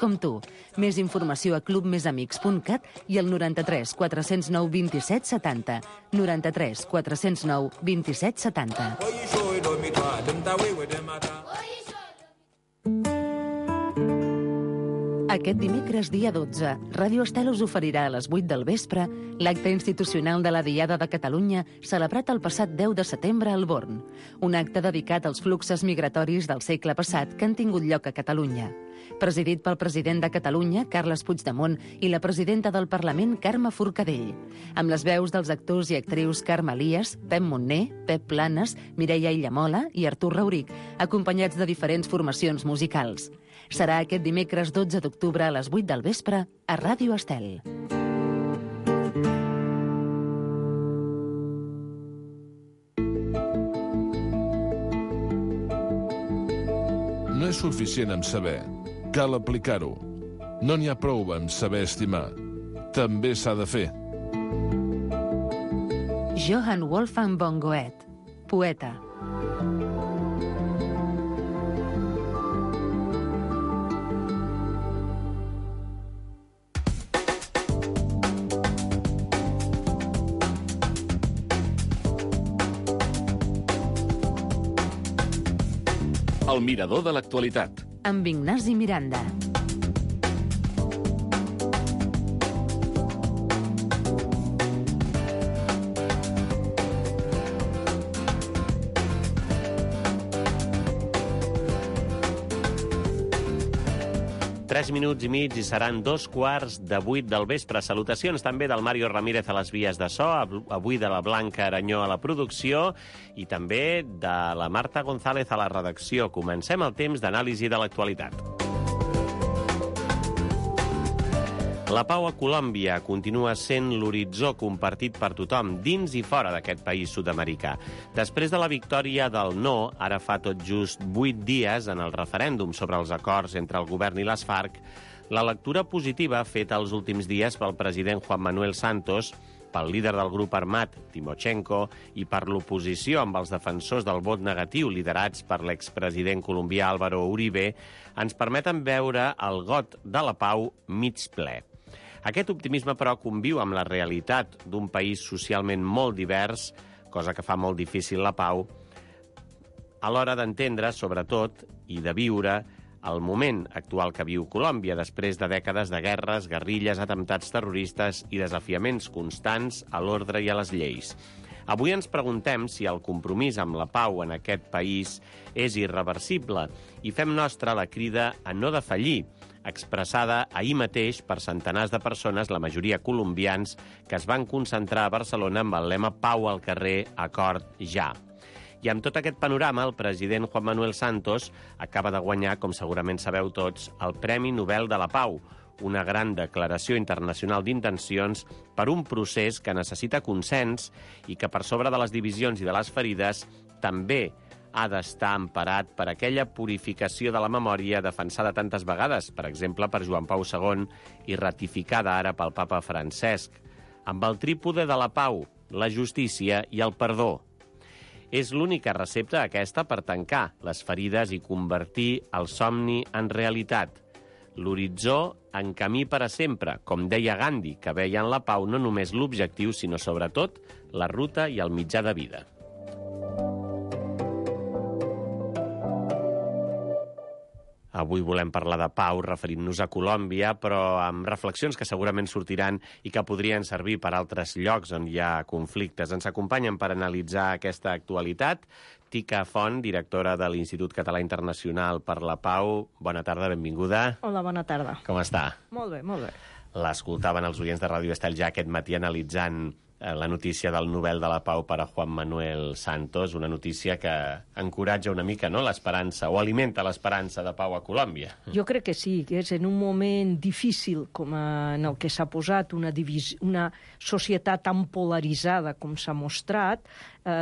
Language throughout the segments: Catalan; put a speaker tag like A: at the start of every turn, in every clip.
A: com tu. Més informació a clubmesamics.cat i al 93 409 27 70. 93 409 27 70. Aquest dimecres, dia 12, Ràdio Estel us oferirà a les 8 del vespre l'acte institucional de la Diada de Catalunya celebrat el passat 10 de setembre al Born. Un acte dedicat als fluxos migratoris del segle passat que han tingut lloc a Catalunya. Presidit pel president de Catalunya, Carles Puigdemont, i la presidenta del Parlament, Carme Forcadell. Amb les veus dels actors i actrius Carme Elias, Pep Montner, Pep Planes, Mireia Illamola i Artur Rauric, acompanyats de diferents formacions musicals. Serà aquest dimecres 12 d'octubre a les 8 del vespre a Ràdio Estel.
B: No és suficient amb saber, cal aplicar-ho. No n'hi ha prou amb saber estimar. També s'ha de fer.
A: Johann Wolfgang von Goethe, poeta.
C: El mirador de l'actualitat.
A: Amb Ignasi Miranda.
D: Tres minuts i mig i seran 2:15 del vespre. Salutacions també del Mario Ramírez a les vies de so, avui de la Blanca Aranyó a la producció i també de la Marta González a la redacció. Comencem el temps d'anàlisi de l'actualitat. La pau a Colòmbia continua sent l'horitzó compartit per tothom, dins i fora d'aquest país sud-americà. Després de la victòria del no, ara fa tot just 8 dies, en el referèndum sobre els acords entre el govern i les FARC, la lectura positiva feta els últims dies pel president Juan Manuel Santos, pel líder del grup armat, Timochenko, i per l'oposició amb els defensors del vot negatiu liderats per l'expresident colombià Álvaro Uribe, ens permeten veure el got de la pau mig ple. Aquest optimisme, però, conviu amb la realitat d'un país socialment molt divers, cosa que fa molt difícil la pau, a l'hora d'entendre, sobretot, i de viure el moment actual que viu Colòmbia després de dècades de guerres, guerrilles, atemptats terroristes i desafiaments constants a l'ordre i a les lleis. Avui ens preguntem si el compromís amb la pau en aquest país és irreversible i fem nostra la crida a no defallir, expressada ahir mateix per centenars de persones, la majoria colombians, que es van concentrar a Barcelona amb el lema Pau al carrer, acord ja. I amb tot aquest panorama, el president Juan Manuel Santos acaba de guanyar, com segurament sabeu tots, el Premi Nobel de la Pau, una gran declaració internacional d'intencions per un procés que necessita consens i que, per sobre de les divisions i de les ferides, també ha d'estar emparat per aquella purificació de la memòria defensada tantes vegades, per exemple, per Joan Pau II i ratificada ara pel papa Francesc, amb el trípode de la pau, la justícia i el perdó. És l'única recepta aquesta per tancar les ferides i convertir el somni en realitat. L'horitzó en camí per a sempre, com deia Gandhi, que veia en la pau no només l'objectiu, sinó sobretot la ruta i el mitjà de vida. Avui volem parlar de pau referint-nos a Colòmbia, però amb reflexions que segurament sortiran i que podrien servir per altres llocs on hi ha conflictes. Ens acompanyen per analitzar aquesta actualitat Tica Font, directora de l'Institut Català Internacional per la Pau. Bona tarda, benvinguda.
E: Hola, bona tarda.
D: Com està?
E: Molt bé, molt bé.
D: L'escoltaven els oients de Ràdio Estel ja aquest matí analitzant la notícia del Nobel de la Pau per a Juan Manuel Santos, una notícia que encoratja una mica, no?, l'esperança, o alimenta l'esperança de pau a Colòmbia.
E: Jo crec que sí, que és en un moment difícil com en el que s'ha posat una societat tan polaritzada com s'ha mostrat,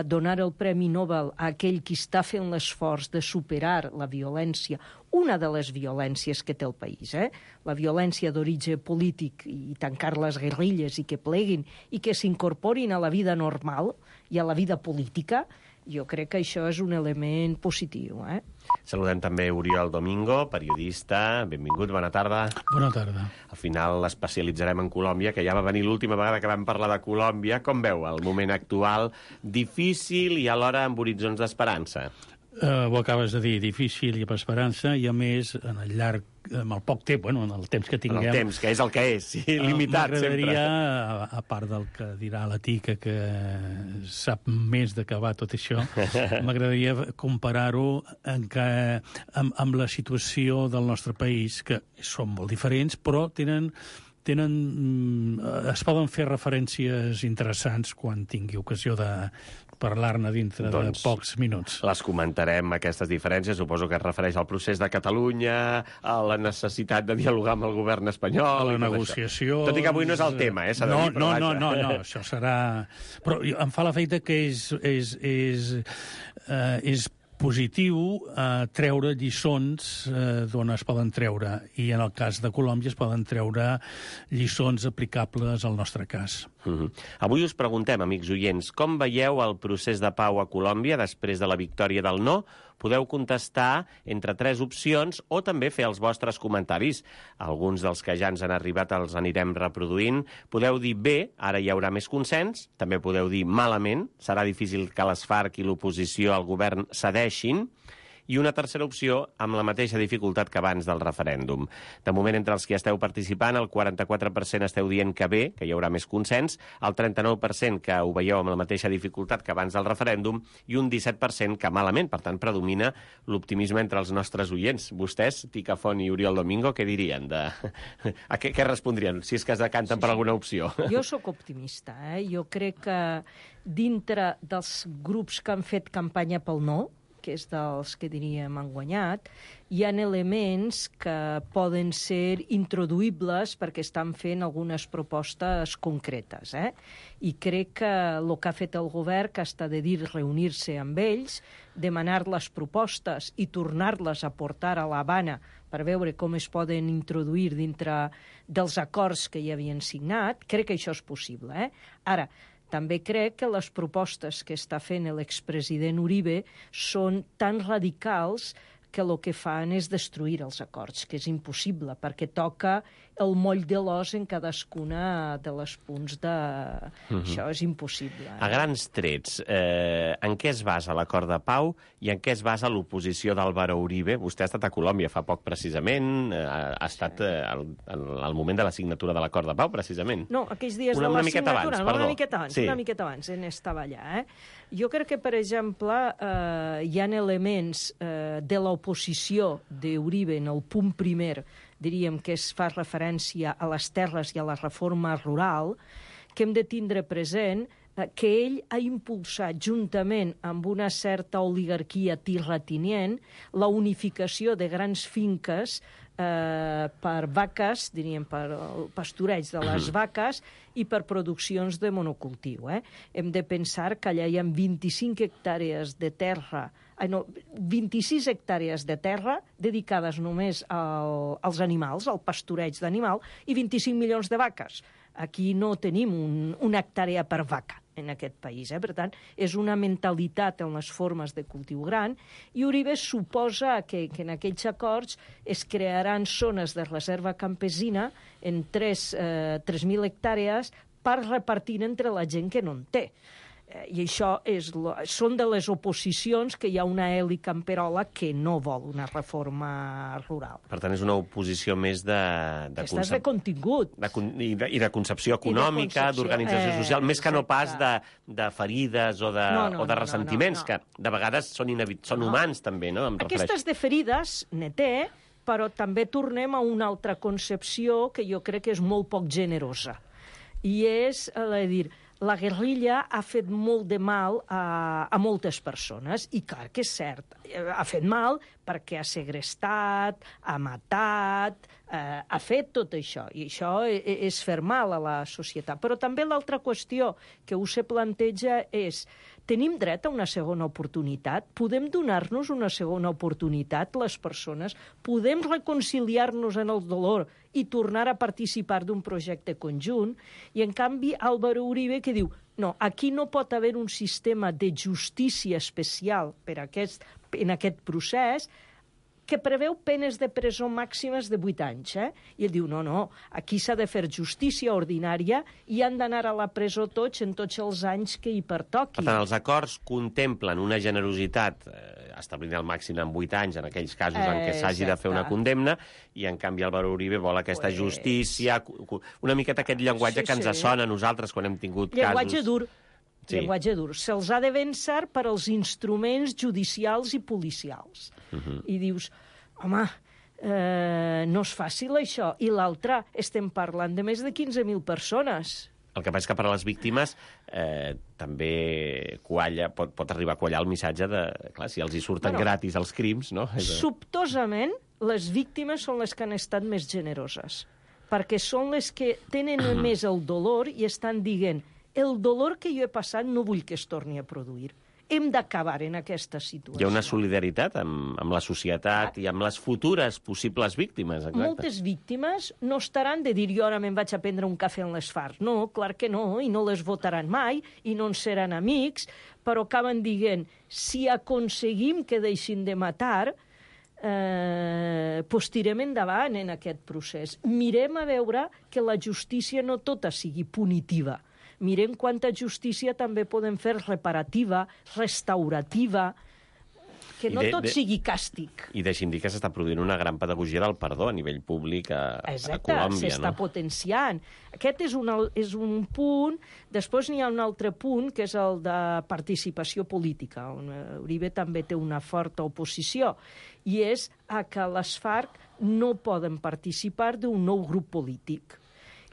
E: donar el Premi Nobel a aquell qui està fent l'esforç de superar la violència, una de les violències que té el país, la violència d'origen polític i tancar les guerrilles i que pleguin i que s'incorporin a la vida normal i a la vida política, Jo crec que això és un element positiu.
D: Saludem també Oriol Domingo, periodista. Benvingut, bona tarda.
F: Bona tarda.
D: Al final l'especialitzarem en Colòmbia, que ja va venir l'última vegada que vam parlar de Colòmbia. Com veu el moment actual? Difícil i alhora amb horitzons d'esperança.
F: Ho acabes de dir, difícil i amb esperança, i a més, en el poc temps, en el temps que tinguem...
D: En el temps, que és el que és, sí, limitat sempre.
F: M'agradaria, a part del que dirà la Tica, que sap més d'acabar tot això, m'agradaria comparar-ho amb la situació del nostre país, que són molt diferents, però es poden fer referències interessants quan tingui ocasió de parlar-ne dintre de pocs minuts.
D: Les comentarem, aquestes diferències. Suposo que es refereix al procés de Catalunya, a la necessitat de dialogar amb el govern espanyol...
F: A la negociació...
D: Tot i que avui no és el tema, s'ha de dir,
F: No, això serà... Però em fa l'efecte que és positiu treure lliçons d'on es poden treure, i en el cas de Colòmbia es poden treure lliçons aplicables al nostre cas.
D: Avui us preguntem, amics oients, com veieu el procés de pau a Colòmbia després de la victòria del no? Podeu contestar entre 3 opcions o també fer els vostres comentaris. Alguns dels que ja ens han arribat els anirem reproduint. Podeu dir bé, ara hi haurà més consens. També podeu dir malament, serà difícil que les FARC i l'oposició al govern cedeixin. I una tercera opció amb la mateixa dificultat que abans del referèndum. De moment, entre els que esteu participant, el 44% esteu dient que bé, que hi haurà més consens, el 39% que ho veieu amb la mateixa dificultat que abans del referèndum i un 17% que malament. Per tant, predomina l'optimisme entre els nostres oients. Vostès, Tica Font i Oriol Domingo, què dirien? Què respondrien, si és que es decanten per alguna opció?
E: Jo sóc optimista. Jo crec que dintre dels grups que han fet campanya pel no, que és dels que diríem han guanyat, hi ha elements que poden ser introduïbles perquè estan fent algunes propostes concretes. I crec que el que ha fet el govern, que està de dir reunir-se amb ells, demanar les propostes i tornar-les a portar a l'Havana per veure com es poden introduir dintre dels acords que ja havien signat, crec que això és possible. Ara, també crec que les propostes que està fent l'expresident Uribe són tan radicals que el que fan és destruir els acords, que és impossible, perquè toca el moll de l'os en cadascuna de les punts de... Això és impossible.
D: A grans trets, en què es basa l'acord de pau i en què es basa l'oposició d'Álvaro Uribe? Vostè ha estat a Colòmbia fa poc, precisament, ha estat al moment de la signatura de l'acord de pau, precisament.
E: No, aquells dies de la signatura, una miqueta abans, estava allà. Jo crec que, per exemple, hi ha elements de l'oposició d'Uribe en el punt primer, diríem que es fa referència a les terres i a la reforma rural, que hem de tindre present que ell ha impulsat, juntament amb una certa oligarquia terratinent, la unificació de grans finques per vaques, diríem, per pastureig de les vaques i per produccions de monocultiu. Hem de pensar que allà hi ha 25 hectàrees de terra, 26 hectàrees de terra dedicades només als animals, al pastureig d'animal, i 25 milions de vaques. Aquí no tenim una hectàrea per vaca en aquest país. Per tant, és una mentalitat en les formes de cultiu gran, i Uribe suposa que en aquells acords es crearan zones de reserva campesina en 3.000 hectàrees per repartir entre la gent que no en té. I això són de les oposicions que hi ha una Eli Camperola que no vol una reforma rural.
D: Per tant, és una oposició més de
E: contingut.
D: I de concepció econòmica, d'organització social, més que no pas de ferides o de ressentiments, que de vegades són humans també, no?
E: Aquestes de ferides ne té, però també tornem a una altra concepció que jo crec que és molt poc generosa. I és, la guerrilla ha fet molt de mal a moltes persones, i clar que és cert, ha fet mal perquè ha segrestat, ha matat, ha fet tot això, i això és fer mal a la societat. Però també l'altra qüestió que se planteja és: tenim dret a una segona oportunitat? Podem donar-nos una segona oportunitat, les persones? Podem reconciliar-nos en el dolor i tornar a participar d'un projecte conjunt? I, en canvi, Álvaro Uribe, que diu: No, aquí no pot haver un sistema de justícia especial en aquest procés que preveu penes de presó màximes de 8 anys. I ell diu, no, aquí s'ha de fer justícia ordinària i han d'anar a la presó tots en tots els anys que hi pertoqui.
D: Per tant, els acords contemplen una generositat establint el màxim en 8 anys en aquells casos en què s'hagi de fer una condemna, i en canvi Álvaro Uribe vol aquesta justícia, una miqueta aquest llenguatge que ens sona a nosaltres quan hem tingut casos...
E: Llenguatge dur. Se'ls ha de vèncer per als instruments judicials i policials. I dius, home, no és fàcil això. I l'altre, estem parlant de més de 15.000 persones.
D: El que passa és que per a les víctimes també pot arribar a quallar el missatge de... Clar, si els hi surten gratis els crims, no?
E: Sobtosament, les víctimes són les que han estat més generoses, perquè són les que tenen més el dolor i estan dient el dolor que jo he passat no vull que es torni a produir. Hem d'acabar en aquesta situació.
D: Hi ha una solidaritat amb la societat i amb les futures possibles víctimes. Exacte.
E: Moltes víctimes no estaran de dir jo ara me'n vaig a prendre un cafè en les FARC. No, clar que no, i no les votaran mai, i no en seran amics, però acaben dient, si aconseguim que deixin de matar, doncs tirem endavant en aquest procés. Mirem a veure que la justícia no tota sigui punitiva. Mirem quanta justícia també podem fer reparativa, restaurativa, que no tot sigui càstig.
D: I deixi'm dir que s'està produint una gran pedagogia del perdó a nivell públic a Colòmbia.
E: S'està potenciant. Aquest és un punt. Després n'hi ha un altre punt, que és el de participació política, on Uribe també té una forta oposició, i és que les FARC no poden participar d'un nou grup polític.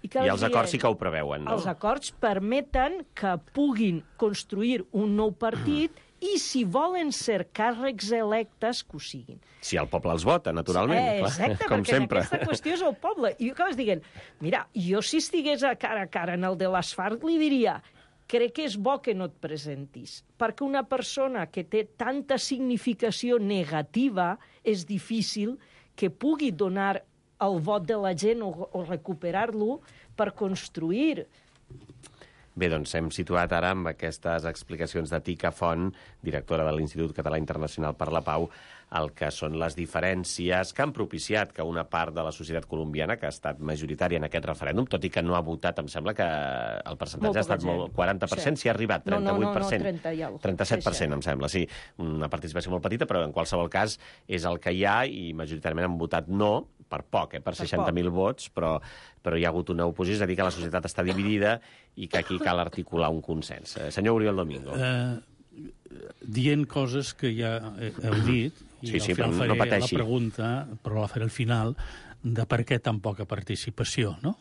D: I els acords sí que ho preveuen, no?
E: Els acords permeten que puguin construir un nou partit i, si volen ser càrrecs electes, que ho siguin.
D: Si el poble els vota, naturalment.
E: Exacte,
D: com
E: perquè
D: sempre.
E: Aquesta qüestió és el poble. I acabes dient, mira, jo si estigués a cara en el de les FARC li diria, crec que és bo que no et presentis, perquè una persona que té tanta significació negativa és difícil que pugui donar el vot de la gent o recuperar-lo per construir.
D: Bé, doncs hem situat ara amb aquestes explicacions de Tica Font, directora de l'Institut Català Internacional per la Pau, el que són les diferències que han propiciat que una part de la societat colombiana, que ha estat majoritària en aquest referèndum, tot i que no ha votat, em sembla que el percentatge ha estat molt... 40%, s'hi ha arribat, 38%.
E: No,
D: 37%, em sembla, sí. Una participació molt petita, però en qualsevol cas és el que hi ha, i majoritàriament han votat no, per poc, per 60.000 vots, però hi ha hagut una oposició, és a dir, que la societat està dividida i que aquí cal articular un consens. Senyor Oriol Domingo.
F: Dient coses que ja heu dit, i
D: sí,
F: al final
D: no
F: faré
D: pateixi.
F: la pregunta, però la faré al final, de per què tan poca participació, no?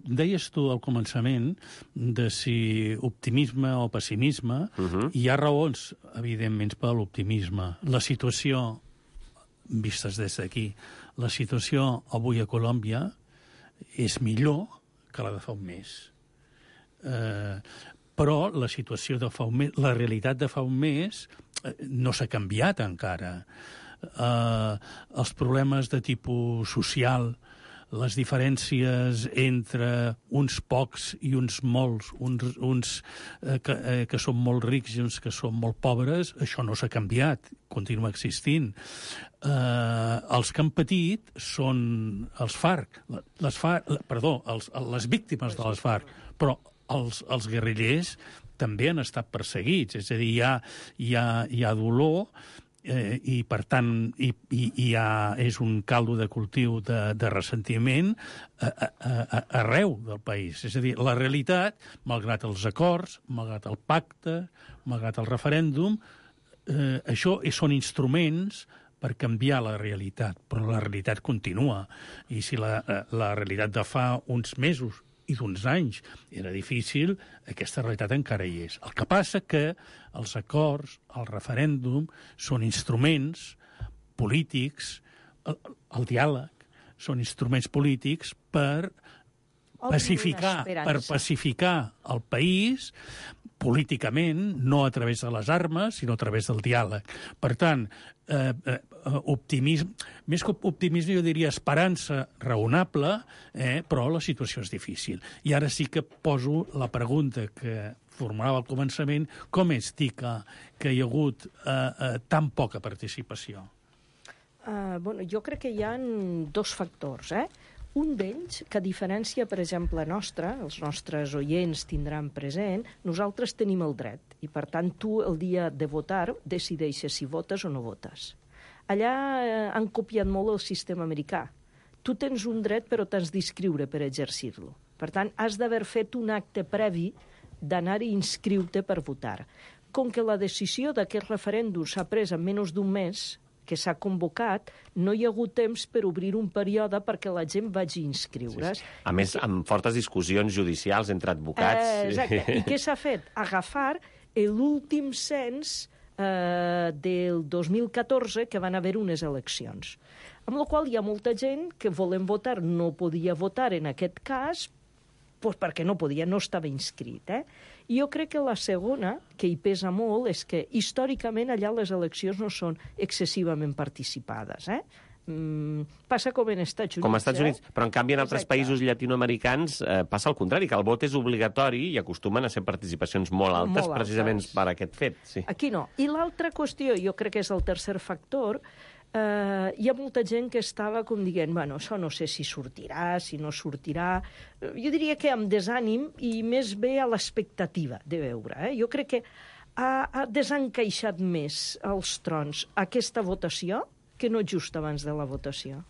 F: Deies tu al començament de si optimisme o pessimisme, i hi ha raons, evidentment, per l'optimisme. La situació, vistes des d'aquí, la situació avui a Colòmbia és millor que la de fa un mes. Però la situació de fa un mes, la realitat de fa un mes no s'ha canviat encara. Els problemes de tipus social, les diferències entre uns pocs i uns molts, uns que són molt rics i uns que són molt pobres, això no s'ha canviat, continua existint. Els que han patit són els FARC, les víctimes de les FARC, però els guerrillers també han estat perseguits, és a dir, hi ha dolor, i per tant és un caldo de cultiu de ressentiment arreu del país. És a dir, la realitat, malgrat els acords, malgrat el pacte, malgrat el referèndum, això són instruments per canviar la realitat, però la realitat continua. I si la realitat de fa uns mesos i d'uns anys era difícil, aquesta realitat encara hi és. El que passa que els acords, el referèndum, són instruments polítics, el diàleg, són instruments polítics per pacificar el país, políticament, no a través de les armes, sinó a través del diàleg. Per tant, optimisme, més que optimisme jo diria esperança raonable, però la situació és difícil. I ara sí que poso la pregunta que formulava al començament, com és, Tica, que hi ha hagut tan poca participació?
E: Jo crec que hi ha dos factors, Un d'ells, que a diferència, per exemple, nostra, els nostres oients tindran present, nosaltres tenim el dret, i per tant tu el dia de votar decideixes si votes o no votes. Allà han copiat molt el sistema americà. Tu tens un dret però t'has d'inscriure per exercir-lo. Per tant, has d'haver fet un acte previ d'anar i inscriure-te per votar. Com que la decisió d'aquest referèndum s'ha pres en menys d'un mes, que s'ha convocat, no hi ha hagut temps per obrir un període perquè la gent vagi inscriure's.
D: Sí. A més, amb fortes discussions judicials entre advocats.
E: Exacte. I què s'ha fet? Agafar l'últim cens del 2014, que van haver unes eleccions. Amb la qual hi ha molta gent que volent votar no podia votar en aquest cas perquè no podia, no estava inscrit. I jo crec que la segona, que hi pesa molt, és que històricament allà les eleccions no són excessivament participades. Passa com en Estats Units.
D: Com als Estats Units, però en canvi en altres països llatinoamericans passa el contrari, que el vot és obligatori i acostumen a ser participacions molt altes, precisament per aquest fet. Sí.
E: Aquí no. I l'altra qüestió, jo crec que és el tercer factor, hi ha molta gent que estava com dient, bueno, això no sé si sortirà, si no sortirà. Jo diria que amb desànim i més bé a l'expectativa de veure. Jo crec que ha desencaixat més els trons aquesta votació que no just abans de la votació.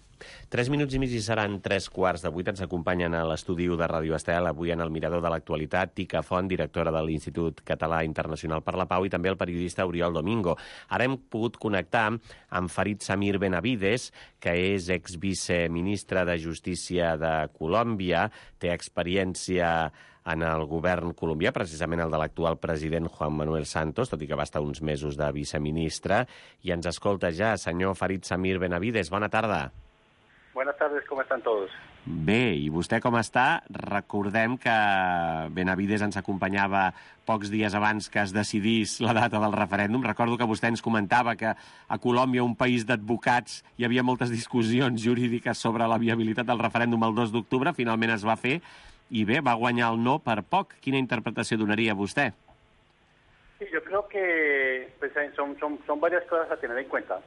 D: 3 minuts i mig i seran 7:45. Ens acompanyen a l'estudi de Ràdio Estel, avui en el Mirador de l'Actualitat, Tica Font, directora de l'Institut Català Internacional per la Pau, i també el periodista Oriol Domingo. Ara hem pogut connectar amb Farid Samir Benavides, que és exviceministre de Justícia de Colòmbia, té experiència en el govern colombià, precisament el de l'actual president Juan Manuel Santos, tot i que va estar uns mesos de viceministre, i ens escolta ja. Senyor Farid Samir Benavides, bona tarda.
G: Buenas tardes, ¿cómo están todos?
D: Bé, i vostè com està? Recordem que Benavides ens acompanyava pocs dies abans que es decidís la data del referèndum. Recordo que vostè ens comentava que a Colòmbia, un país d'advocats, hi havia moltes discussions jurídiques sobre la viabilitat del referèndum el 2 d'octubre. Finalment es va fer i bé, va guanyar el no per poc. Quina interpretació donaria vostè?
G: Sí, yo creo que pues, son varias cosas a tener en cuenta.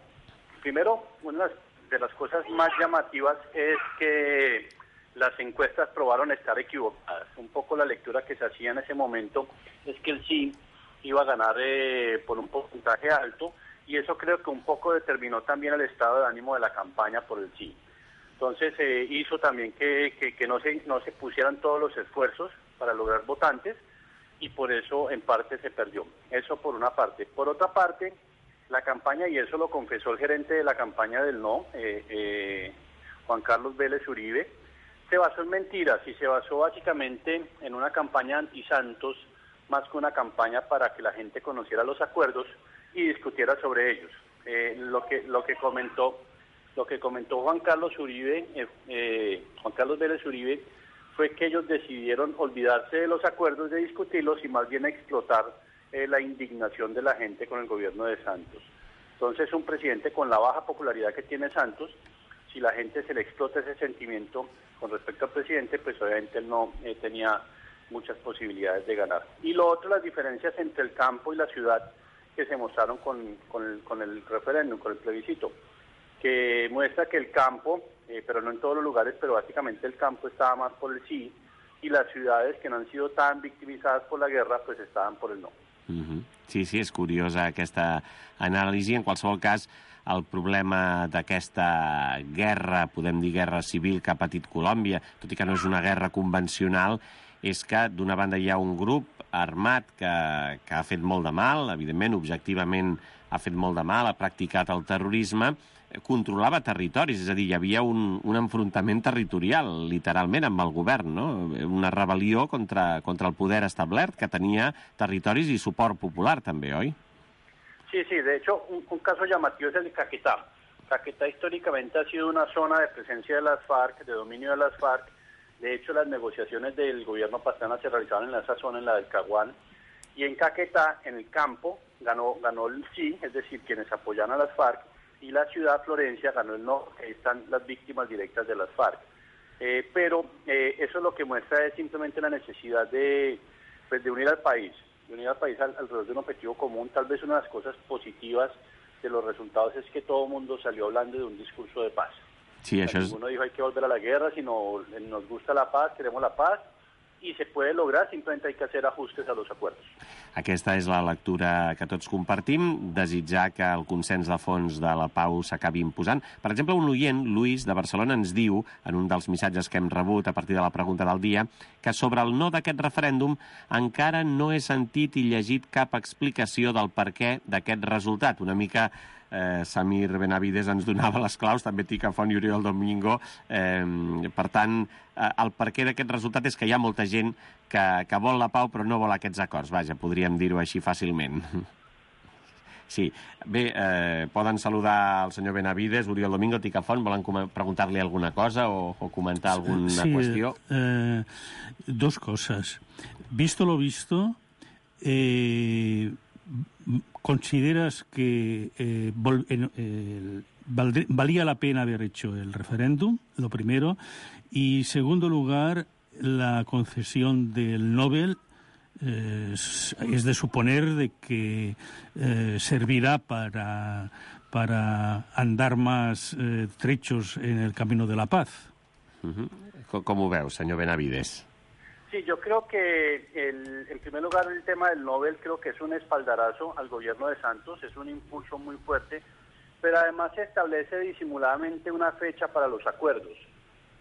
G: Primero, una de las cosas más llamativas es que las encuestas probaron estar equivocadas. Un poco la lectura que se hacía en ese momento es que el sí iba a ganar por un porcentaje alto, y eso creo que un poco determinó también el estado de ánimo de la campaña por el sí. Entonces hizo también que no se pusieran todos los esfuerzos para lograr votantes, y por eso en parte se perdió. Eso por una parte. Por otra parte, la campaña, y eso lo confesó el gerente de la campaña del no, Juan Carlos Vélez Uribe, se basó en mentiras y se basó básicamente en una campaña anti-Santos, más que una campaña para que la gente conociera los acuerdos y discutiera sobre ellos. Lo que comentó Juan Carlos Vélez Uribe, fue que ellos decidieron olvidarse de los acuerdos, de discutirlos, y más bien explotar la indignación de la gente con el gobierno de Santos. Entonces, un presidente con la baja popularidad que tiene Santos, si la gente se le explota ese sentimiento con respecto al presidente, pues obviamente él no tenía muchas posibilidades de ganar. Y lo otro, las diferencias entre el campo y la ciudad que se mostraron con el referéndum, con el plebiscito, que muestra que el campo, pero no en todos los lugares, pero básicamente el campo estaba más por el sí, y las ciudades que no han sido tan victimizadas por la guerra, pues estaban por el no.
D: Sí, és curiosa aquesta anàlisi. En qualsevol cas, el problema d'aquesta guerra, podem dir guerra civil que ha patit Colòmbia, tot i que no és una guerra convencional, és que d'una banda hi ha un grup armat que ha fet molt de mal, evidentment, objectivament ha fet molt de mal, ha practicat el terrorisme, controlava territoris, és a dir, hi havia un enfrontament territorial, literalment, amb el govern, no? Una rebel·lió contra el poder establert, que tenia territoris i suport popular, també, oi?
G: Sí, de hecho, un caso llamativo es el de Caquetá. Caquetá históricamente ha sido una zona de presencia de las FARC, de dominio de las FARC. De hecho, las negociaciones del gobierno Pastrana se realizaron en esa zona, en la del Caguán, Y en Caquetá, en el campo, ganó el sí, es decir, quienes apoyan a las FARC, y la ciudad Florencia ganó el no, que ahí están las víctimas directas de las FARC. Pero eso lo que muestra es simplemente la necesidad de unir al país, alrededor de un objetivo común. Tal vez una de las cosas positivas de los resultados es que todo el mundo salió hablando de un discurso de paz.
D: Sí, això és...
G: Ninguno dijo hay que volver a la guerra, sino nos gusta la paz, queremos la paz, y se puede lograr, simplemente hay que hacer ajustes a los acuerdos.
D: Aquesta és la lectura que tots compartim, desitjar que el consens de fons de la pau s'acabi imposant. Per exemple, un oient, Luis, de Barcelona, ens diu, en un dels missatges que hem rebut a partir de la pregunta del dia, que sobre el no d'aquest referèndum encara no he sentit i llegit cap explicació del perquè d'aquest resultat. Una mica Samir Benavides ens donava les claus, també Tica Font i Oriol Domingo. Per tant, el perquè d'aquest resultat és que hi ha molta gent que vol la pau però no vol aquests acords. Vaja, podríem dir-ho així fàcilment. Sí. Bé, poden saludar el senyor Benavides, Oriol Domingo, Tica Font. Volen preguntar-li alguna cosa o comentar alguna qüestió?
F: Dos cosas. Visto lo visto, ¿consideras que valía la pena haber hecho el referéndum? Lo primero. Y, segundo lugar, la concesión del Nobel es de suponer de que servirá para andar más trechos en el camino de la paz.
D: Com ho veu, senyor Benavides?
G: Sí, yo creo que en primer lugar el tema del Nobel creo que es un espaldarazo al gobierno de Santos, es un impulso muy fuerte, pero además se establece disimuladamente una fecha para los acuerdos.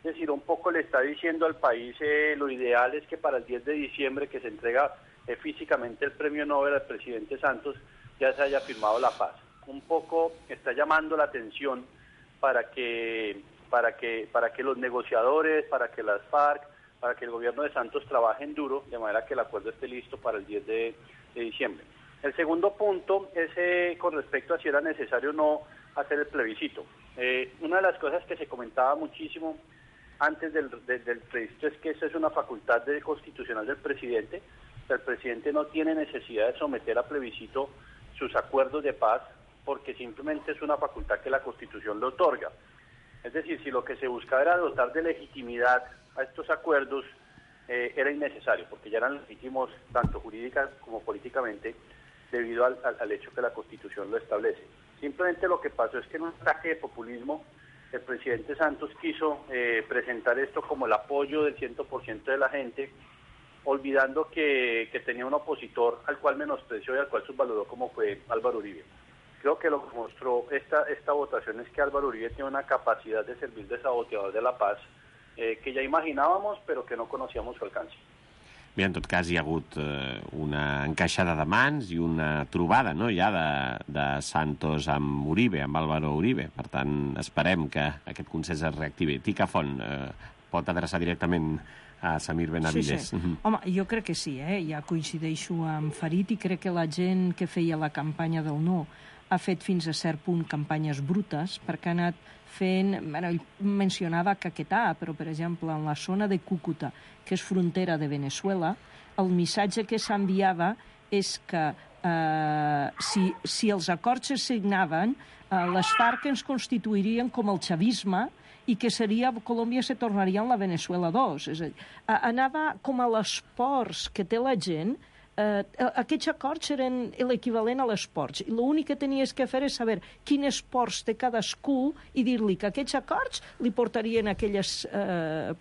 G: Es decir, un poco le está diciendo al país lo ideal es que para el 10 de diciembre que se entrega físicamente el premio Nobel al presidente Santos ya se haya firmado la paz. Un poco está llamando la atención para que los negociadores, para que las FARC, para que el gobierno de Santos trabajen duro, de manera que el acuerdo esté listo para el 10 de diciembre. El segundo punto es con respecto a si era necesario o no hacer el plebiscito. Una de las cosas que se comentaba muchísimo antes del plebiscito es que esa es una facultad constitucional del presidente. El presidente no tiene necesidad de someter a plebiscito sus acuerdos de paz porque simplemente es una facultad que la Constitución le otorga. Es decir, si lo que se buscaba era dotar de legitimidad a estos acuerdos, era innecesario, porque ya eran legítimos tanto jurídica como políticamente, debido al hecho que la Constitución lo establece. Simplemente lo que pasó es que en un ataque de populismo, el presidente Santos quiso presentar esto como el apoyo del 100% de la gente, olvidando que tenía un opositor al cual menospreció y al cual subvaloró como fue Álvaro Uribe. Creo que lo que mostró esta votación es que Álvaro Uribe tiene una capacidad de servir de saboteador de la paz que ja imaginábamos però que no conocíamos su alcance.
D: Bé, en tot cas hi ha hagut una encaixada de mans i una trobada, no?, ja de Santos amb Uribe, amb Álvaro Uribe. Per tant, esperem que aquest consens es reactivi. Tica Font, pot adreçar directament a Samir Benavides.
E: Sí. Home, jo crec que sí, ja coincideixo amb Farid i crec que la gent que feia la campanya del no ha fet fins a cert punt campanyes brutes perquè ha anat fent... Ell mencionava Caquetá, però, per exemple, en la zona de Cúcuta, que és frontera de Venezuela, el missatge que s'enviava és que si els acords es signaven, les FARC ens constituirien com el chavisme i que Colòmbia se tornaria en la Venezuela 2. És a dir, anava com a les pors que té la gent. Aquests acords eren l'equivalent a les ports i l'únic que tenies que fer és saber quines ports té cadascú i dir-li que aquests acords li portarien a aquelles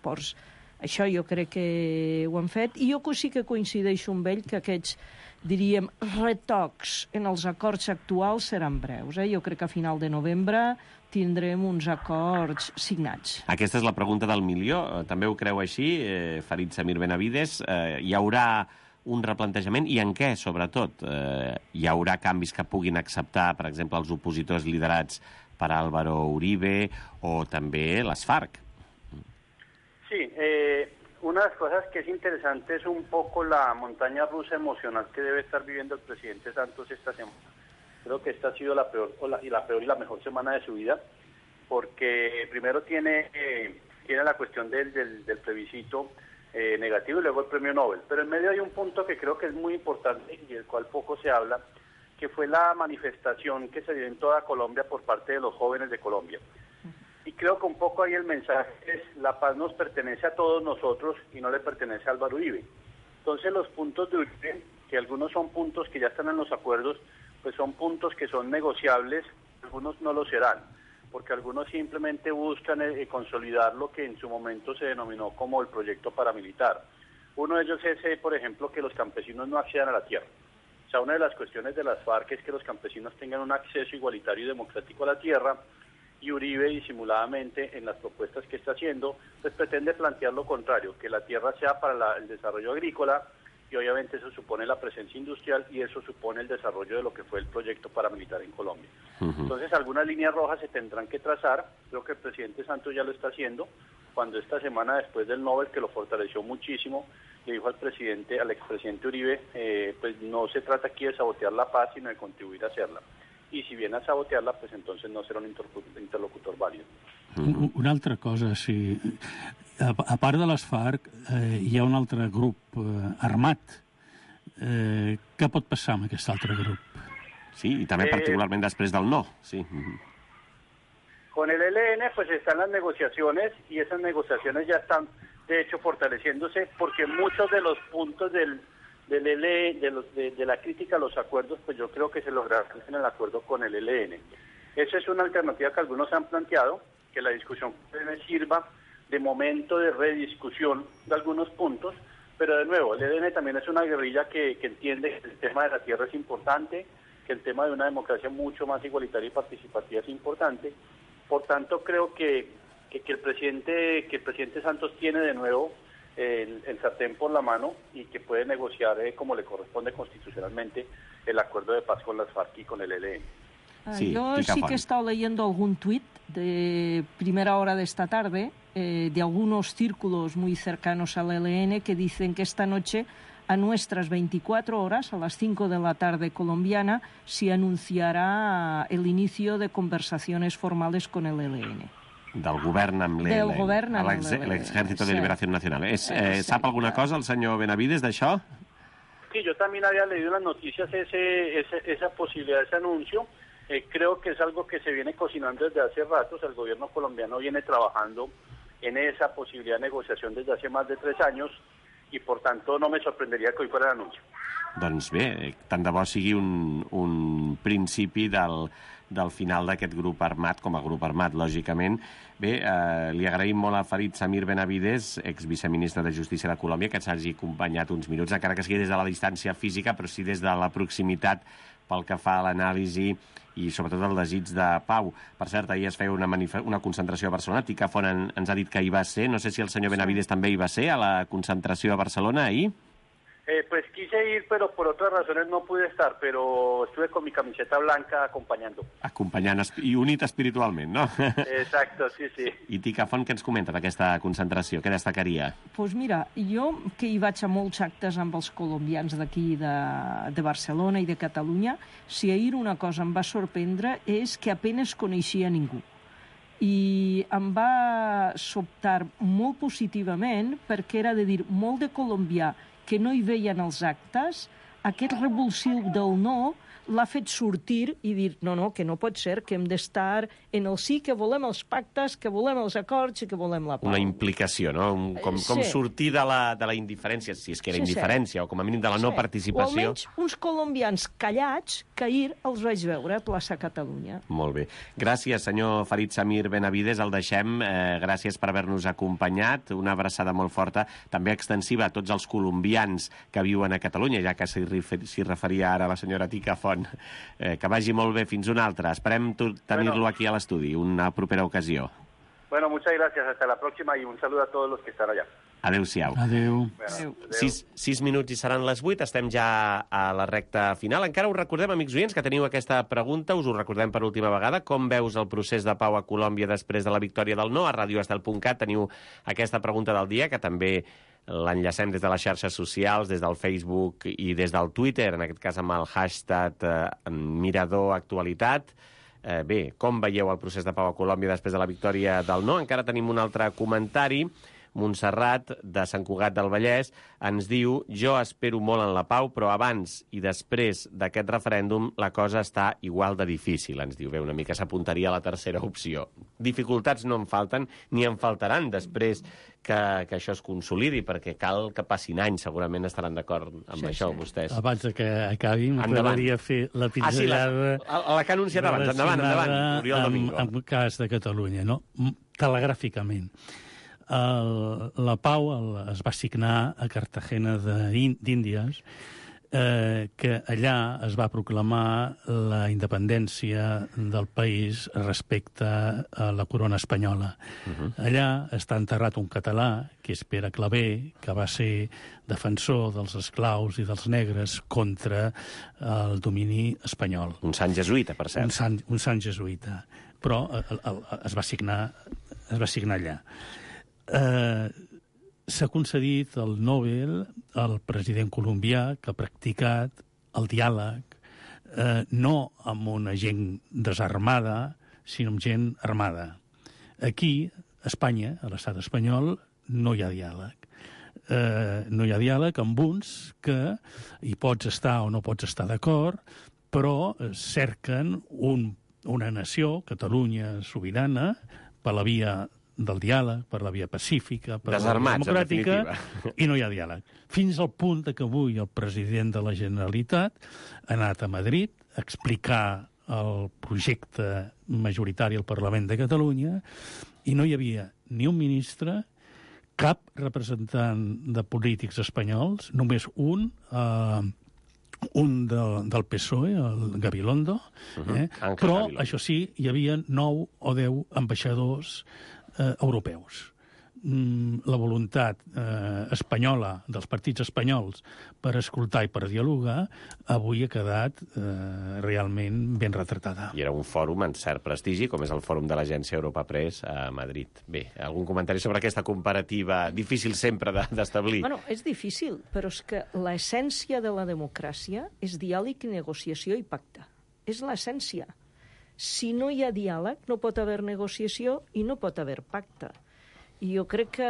E: ports. Això jo crec que ho han fet i jo sí que coincideixo amb ell que aquests, diríem, retocs en els acords actuals seran breus. Jo crec que a final de novembre tindrem uns acords signats.
D: Aquesta és la pregunta del milió. També ho creu així, Farid Samir Benavides? Hi haurà un replantejament i en què, sobretot? Hi haurà canvis que puguin acceptar, per exemple, els opositors liderats per Álvaro Uribe o també les FARC?
G: Sí, una de las cosas que es interesante es un poco la montaña rusa emocional que debe estar viviendo el presidente Santos esta semana. Creo que esta ha sido la peor y la mejor semana de su vida, porque primero tiene la cuestión del plebiscito, negativo y luego el premio Nobel. Pero en medio hay un punto que creo que es muy importante y del cual poco se habla, que fue la manifestación que se dio en toda Colombia por parte de los jóvenes de Colombia. Y creo que un poco ahí el mensaje es: la paz nos pertenece a todos nosotros y no le pertenece a Álvaro Uribe. Entonces los puntos de Uribe, que algunos son puntos que ya están en los acuerdos, pues son puntos que son negociables, algunos no lo serán, porque algunos simplemente buscan consolidar lo que en su momento se denominó como el proyecto paramilitar. Uno de ellos es, por ejemplo, que los campesinos no accedan a la tierra. O sea, una de las cuestiones de las FARC es que los campesinos tengan un acceso igualitario y democrático a la tierra, y Uribe, disimuladamente, en las propuestas que está haciendo, pues pretende plantear lo contrario, que la tierra sea para el desarrollo agrícola, y obviamente eso supone la presencia industrial y eso supone el desarrollo de lo que fue el proyecto paramilitar en Colombia. Entonces algunas líneas rojas se tendrán que trazar. Creo que el presidente Santos ya lo está haciendo, cuando esta semana, después del Nobel, que lo fortaleció muchísimo, le dijo al expresidente Uribe, pues no se trata aquí de sabotear la paz, sino de contribuir a hacerla. I si viene a sabotearla, pues entonces no serà un interlocutor vàlid.
F: Una altra cosa, sí. A part de les FARC, hi ha un altre grup armat. Què pot passar amb aquest altre grup?
D: Sí, i també particularment després del no, sí.
G: Con el ELN pues están las negociaciones y esas negociaciones ya están de hecho fortaleciéndose, porque muchos de los puntos de la crítica a los acuerdos, pues yo creo que se lograrán en el acuerdo con el ELN. Esa es una alternativa que algunos han planteado, que la discusión sirva de momento de rediscusión de algunos puntos, pero de nuevo, el ELN también es una guerrilla que entiende que el tema de la tierra es importante, que el tema de una democracia mucho más igualitaria y participativa es importante. Por tanto, creo que el presidente Santos tiene de nuevo el sartén por la mano y que puede negociar como le corresponde constitucionalmente el acuerdo de paz con las FARC y con el ELN.
E: Sí, yo sí que he estado leyendo algún tuit de primera hora de esta tarde de algunos círculos muy cercanos al ELN que dicen que esta noche, a nuestras 24 horas, a las 5 de la tarde colombiana, se anunciará el inicio de conversaciones formales con el ELN.
D: Del govern amb l'ELN.
E: Del govern amb
D: l'Ejército de Liberación Nacional. ¿Sap alguna cosa el senyor Benavides d'això?
G: Sí, yo también había leído en las noticias esa posibilidad, ese anuncio. Creo que es algo que se viene cocinando desde hace rato. O sea, el gobierno colombiano viene trabajando en esa posibilidad de negociación desde hace más de 3 años y por tanto no me sorprendería que hoy fuera el anuncio.
D: Doncs bé, tant de bo sigui un principi del final d'aquest grup armat, com a grup armat, lògicament. Bé, li agraïm molt a Farid Samir Benavides, exviceministre de Justícia de Colòmbia, que ens hagi acompanyat uns minuts, encara que sigui des de la distància física, però sí des de la proximitat pel que fa a l'anàlisi i sobretot el desig de pau. Per cert, ahir es feia una concentració a Barcelona. Tica Font ens ha dit que hi va ser. No sé si el senyor Benavides també hi va ser, a la concentració a Barcelona, ahir.
G: Pues quise ir, pero por otras razones no pude estar, pero estuve con mi camiseta blanca acompañando.
D: Acompanyant i unit espiritualment, no?
G: Exacto, sí, sí.
D: I Tica Font, què ens comenta d'aquesta concentració? Què destacaria?
E: Pues mira, jo que hi vaig a molts actes amb els colombians d'aquí de Barcelona i de Catalunya, si ahir una cosa em va sorprendre és que apenas coneixia ningú. I em va sobtar molt positivament perquè era de dir molt de colombià que no hi veien els actes, aquest revulsiu del no l'ha fet sortir i dir, no, que no pot ser, que hem d'estar en el sí, que volem els pactes, que volem els acords i que volem la pau.
D: Una implicació, no? Com sortir de la indiferència, si és que era indiferència, o com a mínim de la no participació.
E: O almenys uns colombians callats que ahir els vaig veure a plaça Catalunya.
D: Molt bé. Gràcies, senyor Farid Samir Benavides, el deixem. Gràcies per haver-nos acompanyat. Una abraçada molt forta, també extensiva a tots els colombians que viuen a Catalunya, ja que s'hi referia ara la senyora Tica Font. Que vagi molt bé, fins una altra. Esperem tenir-lo aquí a l'estudi, una propera ocasió.
G: Bueno, muchas gracias, hasta la próxima y un saludo a todos los que están allá.
D: Adéu-siau.
F: Adéu.
G: Bueno,
D: 6 minuts i seran les 8, estem ja a la recta final. Encara us recordem, amics oients, que teniu aquesta pregunta, us ho recordem per última vegada. Com veus el procés de pau a Colòmbia després de la victòria del no? A radioestel.cat teniu aquesta pregunta del dia, que també l'enllacem des de les xarxes socials, des del Facebook i des del Twitter, en aquest cas amb el hashtag Mirador Actualitat. Bé, com veieu el procés de pau a Colòmbia després de la victòria del no? Encara tenim un altre comentari. Montserrat, de Sant Cugat del Vallès, ens diu: jo espero molt en la pau, però abans i després d'aquest referèndum la cosa està igual de difícil, ens diu. Bé, una mica s'apuntaria a la tercera opció. Dificultats no en falten, ni en faltaran després que això es consolidi, perquè cal que passin anys, segurament estaran d'acord amb això, vostès.
F: Abans que acabi, m'agradaria fer la pinzellada...
D: la que ha anunciat abans. Endavant, Oriol Domingo.
F: En cas de Catalunya, no? Telegràficament. La pau es va signar a Cartagena d'Índies, que allà es va proclamar la independència del país respecte a la corona espanyola. Allà està enterrat un català, que és Pere Claver, que va ser defensor dels esclaus i dels negres contra el domini espanyol.
D: Un sant jesuïta, per cert.
F: Un sant jesuïta. Però es va signar allà. S'ha concedit el Nobel al president colombià, que ha practicat el diàleg, no amb una gent desarmada, sinó amb gent armada. Aquí, a Espanya, a l'estat espanyol, no hi ha diàleg. No hi ha diàleg amb uns que hi pots estar o no pots estar d'acord, però cerquen una nació, Catalunya sobirana, per la via del diàleg, per la via pacífica, per la via democràtica, i no hi ha diàleg. Fins al punt que avui el president de la Generalitat ha anat a Madrid a explicar el projecte majoritari al Parlament de Catalunya i no hi havia ni un ministre, cap representant de polítics espanyols, només un del PSOE, el Gabilondo, però, això sí, hi havia 9 o 10 ambaixadors europeus. La voluntat espanyola, dels partits espanyols, per escoltar i per dialogar, avui ha quedat realment ben retratada.
D: I era un fòrum en cert prestigi, com és el fòrum de l'agència Europa Press a Madrid. Bé, algun comentari sobre aquesta comparativa difícil sempre d'establir?
E: Bueno, és difícil, però és que l'essència de la democràcia és diàleg, negociació i pacte. És l'essència. Si no hi ha diàleg, no pot haver negociació i no pot haver pacte. I jo crec que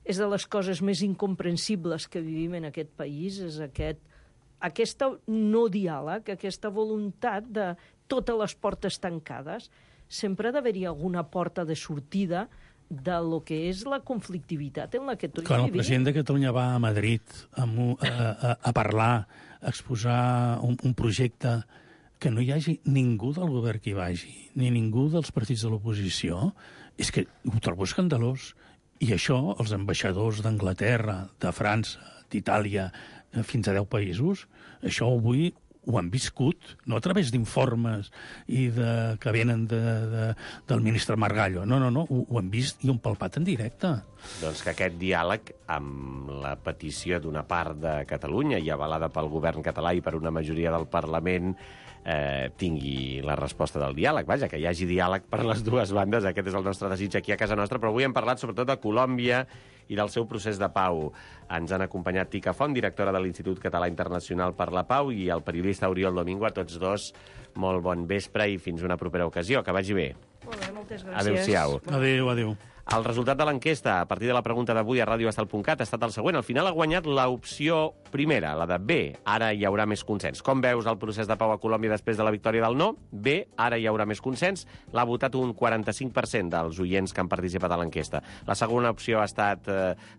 E: és de les coses més incomprensibles que vivim en aquest país, és aquesta no diàleg, aquesta voluntat de totes les portes tancades. Sempre ha d'haver-hi alguna porta de sortida de lo que és la conflictivitat en la que tots vivim.
F: Quan el president de Catalunya va a Madrid a parlar, a exposar un projecte, que no hi hagi ningú del govern que hi vagi, ni ningú dels partits de l'oposició, és que ho trobo escandalós. I això, els ambaixadors d'Anglaterra, de França, d'Itàlia, fins a 10 països, això avui ho han viscut, no a través d'informes i que venen del ministre Margallo. No, ho han vist i ho han palpat en directe.
D: Doncs que aquest diàleg, amb la petició d'una part de Catalunya i avalada pel govern català i per una majoria del Parlament, tingui la resposta del diàleg. Vaja, que hi hagi diàleg per les dues bandes. Aquest és el nostre desig aquí a casa nostra, però avui hem parlat sobretot de Colòmbia i del seu procés de pau. Ens han acompanyat Tica Font, directora de l'Institut Català Internacional per la Pau, i el periodista Oriol Domingo. A tots dos, molt bon vespre i fins una propera ocasió. Que vagi bé.
E: Molt bé, moltes gràcies.
D: Adéu-siau.
F: Adéu.
D: El resultat de l'enquesta, a partir de la pregunta d'avui a radioestel.cat, ha estat el següent. Al final ha guanyat l'opció primera, la de B. Ara hi haurà més consens. Com veus el procés de pau a Colòmbia després de la victòria del no? B. Ara hi haurà més consens. L'ha votat un 45% dels oients que han participat a l'enquesta. La segona opció ha estat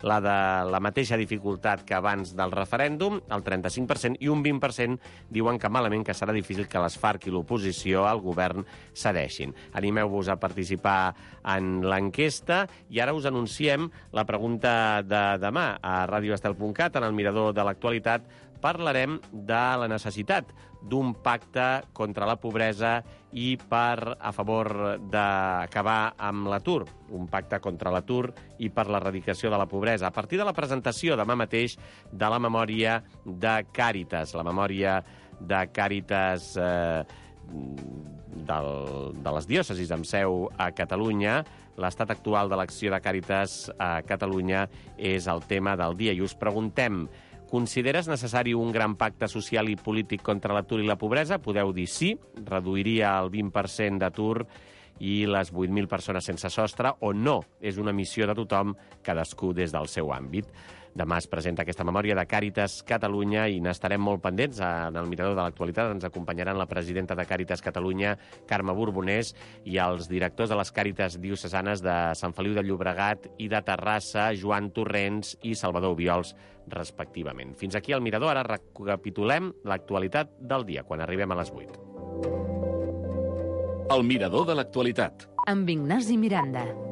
D: la de la mateixa dificultat que abans del referèndum, el 35%, i un 20% diuen que malament, que serà difícil que les FARC i l'oposició al govern cedeixin. Animeu-vos a participar en l'enquesta. I ara us anunciem la pregunta de demà. A radioestel.cat, en el mirador de l'actualitat, parlarem de la necessitat d'un pacte contra la pobresa i a favor d'acabar amb l'atur. Un pacte contra l'atur i per l'erradicació de la pobresa. A partir de la presentació demà mateix de la memòria de Càritas. La memòria de Càritas de les diòcesis amb seu a Catalunya. L'estat actual de l'acció de Càritas a Catalunya és el tema del dia. I us preguntem, consideres necessari un gran pacte social i polític contra l'atur i la pobresa? Podeu dir sí, reduiria el 20% d'atur i les 8.000 persones sense sostre, o no. És una missió de tothom, cadascú des del seu àmbit. Demà es presenta aquesta memòria de Càritas Catalunya i n'estarem molt pendents. En el Mirador de l'Actualitat ens acompanyaran la presidenta de Càritas Catalunya, Carme Borbonés, i els directors de les Càritas diocesanes de Sant Feliu de Llobregat i de Terrassa, Joan Torrents i Salvador Obiols, respectivament. Fins aquí el Mirador. Ara recapitulem l'actualitat del dia, quan arribem a les 8.
C: El Mirador de l'Actualitat.
A: Amb Ignasi Miranda.